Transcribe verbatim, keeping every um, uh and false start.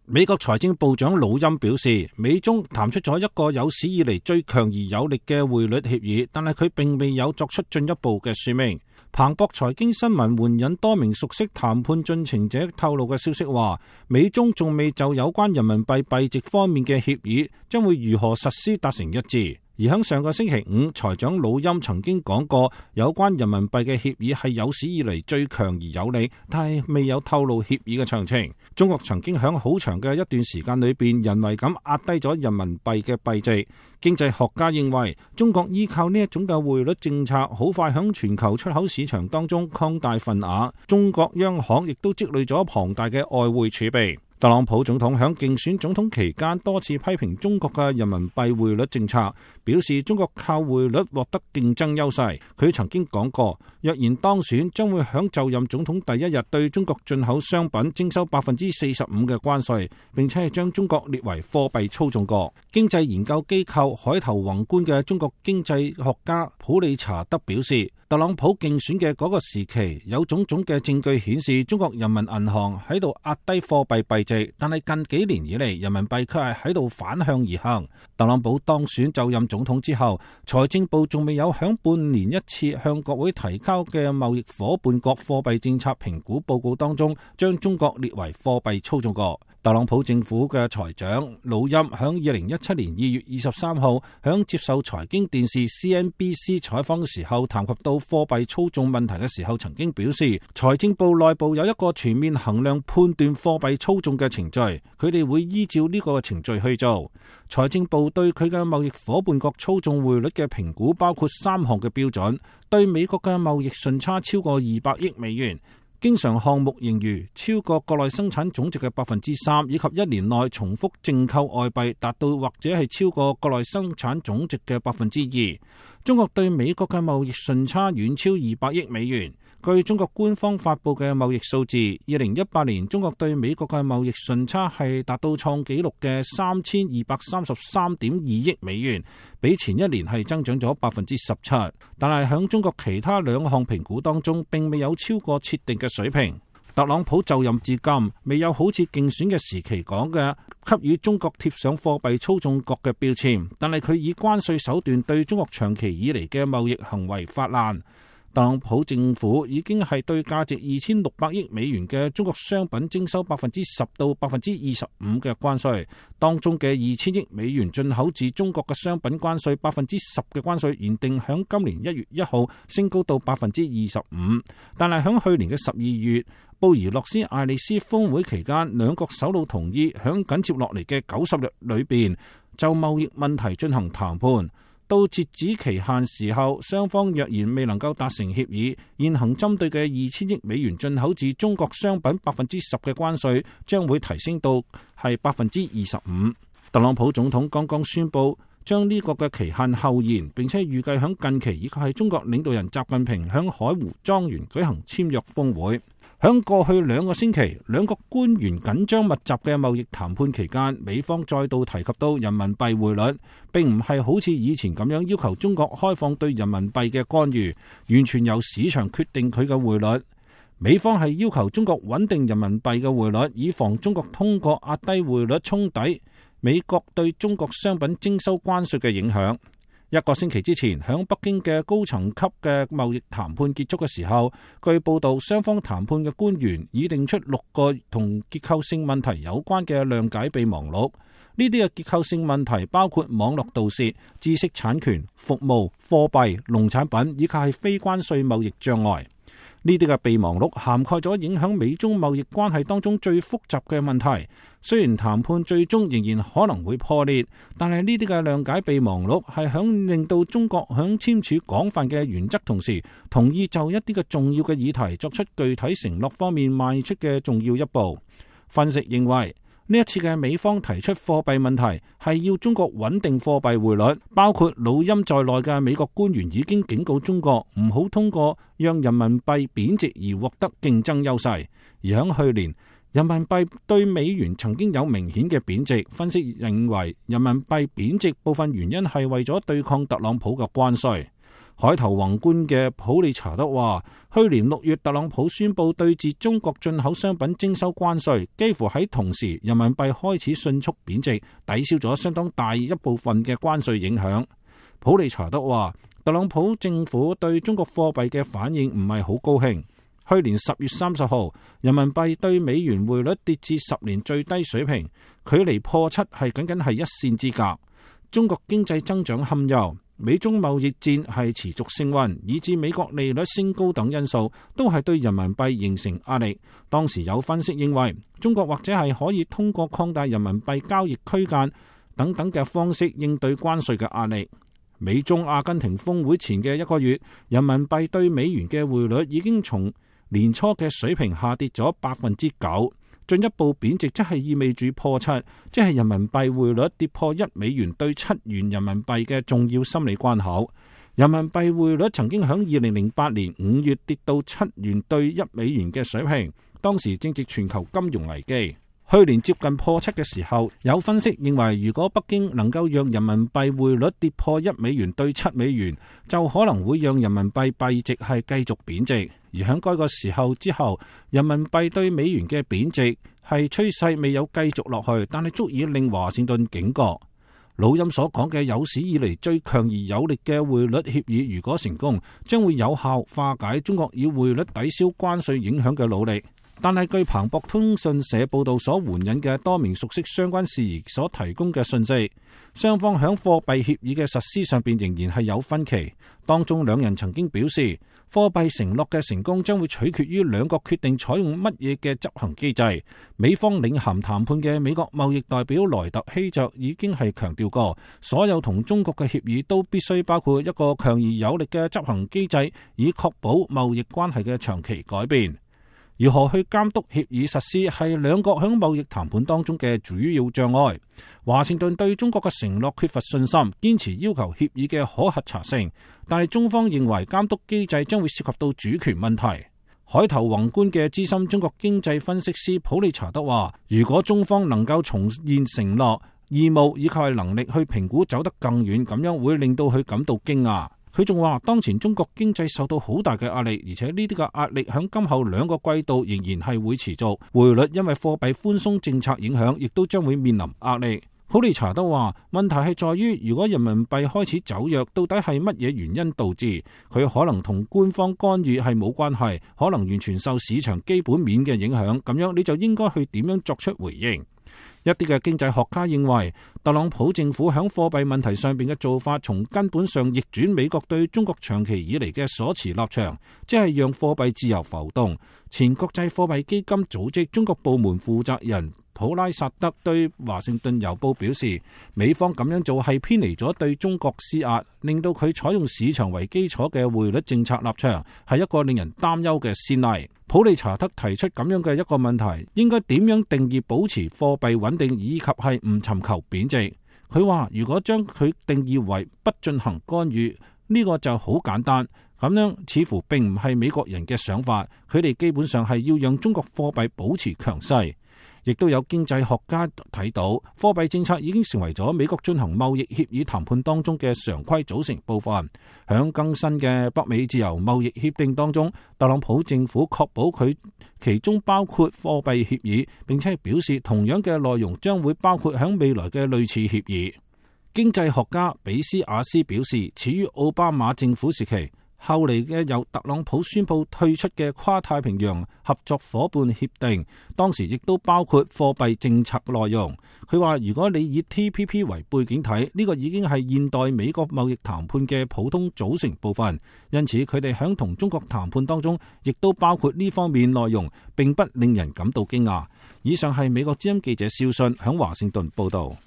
美國財政部長魯欽表示，美中談出咗一個有史以嚟最強而有力嘅匯率協議，但係佢並未有作出進一步嘅說明。彭博財經新聞援引多名熟悉談判進程者透露嘅消息話，美中仲未就有關人民幣幣值方面嘅協議將會如何實施達成一致。而喺上個星期五，財長魯欽曾經講過，有關人民幣嘅協議係有史以嚟最強而有力，但係未有透露協議嘅詳情。中國曾經喺好長嘅一段時間裏邊，人為咁壓低咗人民幣嘅幣值。經濟學家認為，中國依靠呢一種嘅匯率政策，好快喺全球出口市場當中擴大份額。中國央行亦都積累咗龐大嘅外匯儲備。特朗普總統喺競選總統期間多次批評中國嘅人民幣匯率政策，表示中國靠匯率獲得競爭優勢。佢曾經講過，若然當選，將會喺就任總統第一日對中國進口商品徵收百分之四十五嘅關稅，並且係將中國列為貨幣操縱國。經濟研究機構海投宏觀嘅中國經濟學家普利查德表示，特朗普競選嘅嗰個時期，有種種嘅證據顯示中國人民銀行喺度壓低貨幣幣值，但係近幾年以嚟，人民幣卻係喺度反向而行。特朗普當選就任總統之後，財政部仲未有響半年一次向國會提交嘅貿易夥伴國貨幣政策評估報告當中，將中國列為貨幣操縱國。特朗普政府嘅財長魯欽響二零一七年二月二十三號響接受財經電視 C N B C 採訪嘅時候，談及到貨幣操縱問題嘅時候，曾經表示財政部內部有一個全面衡量判斷貨幣操縱嘅程序，佢哋會依照呢個程序去做。財政部對佢嘅貿易夥伴國操縱匯率嘅評估包括三項嘅標準：對美國嘅貿易順差超過二百億美元，經常項目盈餘超過國內生產總值嘅百分之三，以及一年內重複淨購外幣達到或者係超過國內生產總值嘅百分之二。中國對美國嘅貿易順差遠超二百億美元。據中國官方發布嘅貿易數字，二零一八年中國對美國嘅貿易順差係達到創紀錄嘅三千二百三十三點二億美元，比前一年係增長咗百分之十七。但係響中國其他兩項評估當中，並未有超過設定嘅水平。特朗普就任至今，未有好似競選嘅時期講嘅給予中國貼上貨幣操縱國嘅標籤，但係佢以關稅手段對中國長期以嚟嘅貿易行為發難。特朗普政府已經係對價值二千六百億美元嘅中國商品徵收百分之十到百分之二十五嘅關稅，當中嘅二千億美元進口至中國嘅商品關稅百分之十嘅關稅，原定響今年一月一號升高到百分之二十五，但係響去年嘅十二月布宜諾斯艾利斯峰會期間，兩國首腦同意響緊接落嚟嘅九十日裏邊就貿易問題進行談判。到截止期限時候，雙方若然未能夠達成協議，現行針對嘅二千億美元進口至中國商品百分之十嘅關稅將會提升到係百分之二十五。特朗普總統剛剛宣布將呢個嘅期限後延，並且預計響近期以及係中國領導人習近平響海湖莊園舉行簽約峰會。響過去兩個星期，兩國官員緊張密集嘅貿易談判期間，美方再度提及到人民幣匯率，並唔係好似以前咁樣要求中國開放對人民幣嘅干預，完全由市場決定佢嘅匯率。美方係要求中國穩定人民幣嘅匯率，以防中國通過壓低匯率沖抵美國對中國商品徵收關稅嘅影響。一個星期之前，響北京嘅高層級嘅貿易談判結束嘅時候，據報道雙方談判嘅官員已定出六個同結構性問題有關嘅諒解備忘錄。呢啲嘅結構性問題包括網絡盜竊、知識產權、服務、貨幣、農產品以及係非關稅貿易障礙。呢啲嘅備忘錄涵蓋咗影響美中貿易關係當中最複雜嘅問題。雖然談判最終仍然可能會破裂，但係呢啲嘅諒解備忘錄係響令到中國響簽署廣泛嘅原則同時，同意就一啲嘅重要嘅議題作出具體承諾方面邁出嘅重要一步。分析認為，呢一次嘅美方提出貨幣問題係要中國穩定貨幣匯率，包括魯欽在內嘅美國官員已經警告中國唔好通過讓人民幣貶值而獲得競爭優勢。而響去年，人民幣對美元曾經有明顯嘅貶值，分析認為人民幣貶值部分原因係為咗對抗特朗普嘅關稅。海投宏觀嘅普利查德話，去年六月特朗普宣布對自中國進口商品徵收關稅，幾乎喺同時人民幣開始迅速貶值，抵消咗相當大一部分嘅關稅影響。普利查德話，特朗普政府對中國貨幣嘅反應唔係好高興。去年十月三十號，人民幣對美元匯率跌至十年最低水平，距離破七係僅僅係一線之隔。中國經濟增長堪憂，美中貿易戰係持續升溫，以致美國利率升高等因素都係對人民幣形成壓力。當時有分析認為，中國或者係可以通過擴大人民幣交易區間等等嘅方式應對關稅嘅壓力。美中阿根廷峰會前嘅一個月，人民幣對美元嘅匯率已經從年初嘅水平下跌咗百分之九，進一步貶值，即係意味住破七，即係人民幣匯率跌破一美元對七元人民幣嘅重要心理關口。人民幣匯率曾經響二零零八年五月跌到七元對一美元嘅水平，當時正值全球金融危機。去年接近破七嘅時候，有分析認為，如果北京能夠讓人民幣匯率跌破一美元對七美元，就可能會讓人民幣幣值係繼續貶值。而喺該個時候之後，人民幣對美元嘅貶值係趨勢未有繼續落去，但係足以令華盛頓警覺。老欽所講嘅有史以嚟最強而有力嘅匯率協議，如果成功，將會有效化解中國以匯率抵消關稅影響嘅努力。但係據彭博通訊社報道所援引嘅多名熟悉相關事宜所提供嘅信息，雙方響貨幣協議嘅實施上邊仍然係有分歧。當中兩人曾經表示，貨幣承諾嘅成功將會取決於兩國決定採用乜嘢嘅執行機制。美方領銜談判嘅美國貿易代表萊特希澤已經係強調過，所有同中國嘅協議都必須包括一個強而有力嘅執行機制，以確保貿易關係嘅長期改變。如何去監督協議實施係兩國喺貿易談判當中嘅主要障礙。華盛頓對中國嘅承諾缺乏信心，堅持要求協議嘅可核查性，但係中方認為監督機制將會涉及到主權問題。海投宏觀嘅資深中國經濟分析師普利查德話，如果中方能夠重現承諾、義務以及係能力去評估走得更遠，咁樣會令到佢感到驚訝。佢仲話，當前中國經濟受到好大嘅壓力，而且呢啲嘅壓力響今後兩個季度仍然係會持續。匯率因為貨幣寬鬆政策影響，亦都將會面臨壓力。普利查德話，問題係在於，如果人民幣開始走弱，到底係乜嘢原因導致？佢可能同官方干預係冇關係，可能完全受市場基本面嘅影響。咁樣你就應該去點樣作出回應？一啲嘅經濟學家認為，特朗普政府喺貨幣問題上邊嘅做法，從根本上逆轉美國對中國長期以嚟嘅所持立場，即係讓貨幣自由浮動。前國際貨幣基金組織中國部門負責人普拉薩德對華盛頓郵報表示，美方咁樣做係偏離咗對中國施壓，令到佢採用市場為基礎嘅匯率政策立場，係一個令人擔憂嘅先例。普利查德提出咁樣嘅一個問題，應該點樣定義保持貨幣穩定以及係唔尋求貶值？佢話如果將佢定義為不進行干預，呢個就好簡單。咁樣似乎並唔係美國人嘅想法，佢哋基本上係要讓中國貨幣保持強勢。亦都有經濟學家睇到，貨幣政策已經成為咗美國進行貿易協議談判當中嘅常規組成部分。響更新嘅北美自由貿易協定當中，特朗普政府確保佢其中包括貨幣協議，並且表示同樣嘅內容將會包括響未來嘅類似協議。經濟學家比斯亞斯表示，始於奧巴馬政府時期，後嚟嘅由特朗普宣布退出嘅跨太平洋合作夥伴協定，當時亦都包括貨幣政策內容。佢話如果你以 T P P 為背景睇，呢個已經係現代美國貿易談判嘅普通組成部分，因此佢哋響同中國談判當中，亦都包括呢方面內容，並不令人感到驚訝。以上係美國之音記者肖信響華盛頓報道。